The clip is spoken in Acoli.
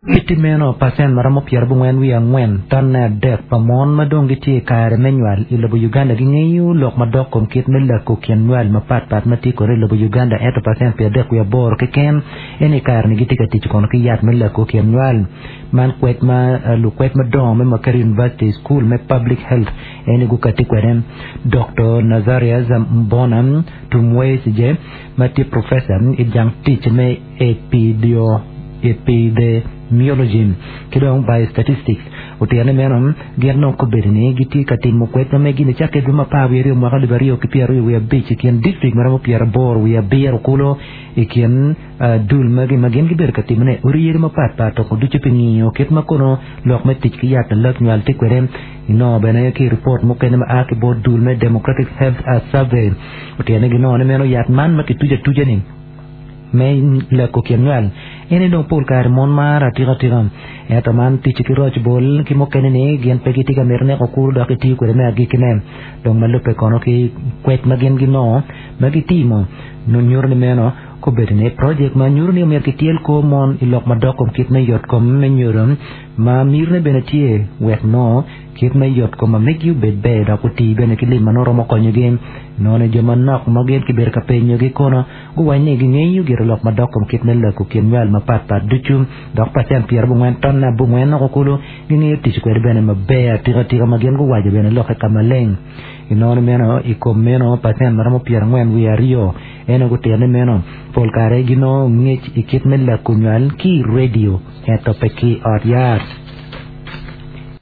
Kiti meno, pacent ma romo pyerabongwen wiye angwen tonne adek pa mon ma dong gitye i kare me nywal i lobo Uganda gingeyo lok madok kom kit me lako kin nywal mapat pat ma tye kwede i lobo Uganda ento pacent 38 keken ene i kare-ni gitye ka tic kono ki yat me lako kin nywal. Man kwed ma lukwed madongo me Makerere University School me Public Health ene gukati kwede. Doktor Nazarius Mbona Tumwesigye ma tye professor i jang tic me Epidemiology ki dong Biostatistics otito ni meno gin dong kobedo ni gitye ka timo kwed ma megi nicakke dwe me apar wiye aryo mwaka 2025 i kin distrik ma romo 87 kulu i kin dul magi ma gin gibedo ka timone odi yadi mapat pat toko ducu pi ngiyo kit ma kono lok me tic ki yat lalak nywal tye kwede. Inongo bene ki i ripot mukene ma a ki bot dul me Democratic Health Survey otito ni ginongo ni meno yat man ma kituco atuca-ni me leko kin nywal en aye dong pol kare mon maro atika tika. Ento man tic ki roc bol ki mukene ni gin pe gitye ka mito neko kuru dok gitiyo kwede me agikkine. Dong ma lubbe kono ki kwed ma gin ginongo ma gitimo nyuto ni meno kobedo ni projek ma nyuto ni omyero kityel kor mon i lok madok kom kit me yot kom me nyodo ma mitine bene tye wek nongo kit me yot kom ma megi obed ber dok oti bene ki lim ma nongo romo konyogi. Nongo ni jo manok ma gin kibedo ka penyogi kono guwaco ni gingeyo gire lok madok kom kit me lako kin nywal mapatpat ducu dok pacent pyerabongwen tonne abongwen noko kulu gingeyo tic kwede bene maber atikatika ma gin guwaco bene lokke ka maleng. Inongo ni meno i kom meno pacent ma romo pyerangwen wiye aryo en aye gutito ni meno pol kare ginongo ngec i kit me lako nywal ki i redio ento pe ki i ot yat.